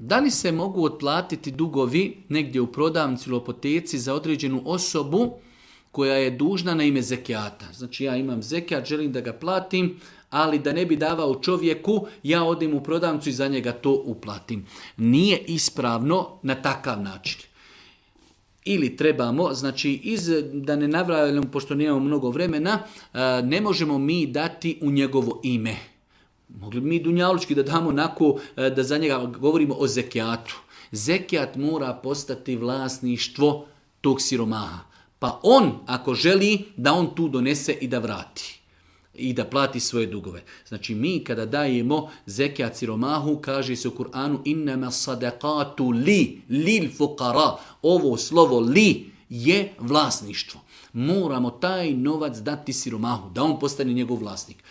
Da li se mogu otplatiti dugovi negdje u prodavnici ili apoteci za određenu osobu koja je dužna na ime zekijata? Znači ja imam zekijat, želim da ga platim, ali da ne bi davao čovjeku, ja odem u prodavnicu i za njega to uplatim. Nije ispravno na takav način. Ili trebamo, znači da ne navrajamo, pošto nemamo mnogo vremena, ne možemo mi dati u njegovo ime. Mogli bi mi dunjalučki da damo onako, da za njega govorimo o zekijatu. Zekijat mora postati vlasništvo tog siromaha. Pa on, ako želi, da on tu donese i da vrati. I da plati svoje dugove. Znači mi kada dajemo zekijat siromahu, kaže se u Kur'anu innama sadaqatu lil fuqara. Ovo slovo li je vlasništvo. Moramo taj novac dati siromahu, da on postane njegov vlasnik.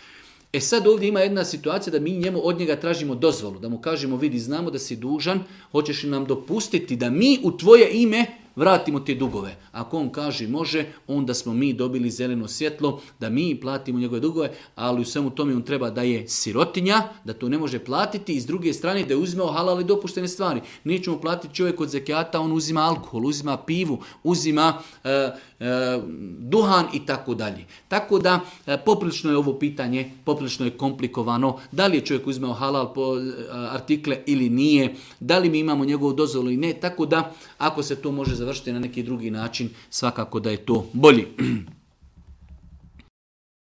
Sad ovdje ima jedna situacija da mi od njega tražimo dozvolu, da mu kažemo vidi znamo da si dužan, hoćeš li nam dopustiti da mi u tvoje ime vratimo te dugove. Ako on kaže može, onda smo mi dobili zeleno svjetlo da mi platimo njegove dugove, ali u svemu tome on treba da je sirotinja, da to ne može platiti i s druge strane da je uzimao halal i dopuštene stvari. Nećemo platiti čovjek od zekijata, on uzima alkohol, uzima pivu, uzima duhan i tako dalje. Tako da poprilično je ovo pitanje, poprilično je komplikovano. Da li je čovjek uzimao halal artikle ili nije, da li mi imamo njegovu dozvolu ili ne, tako da ako se to može završiti na neki drugi način, svakako da je to bolji.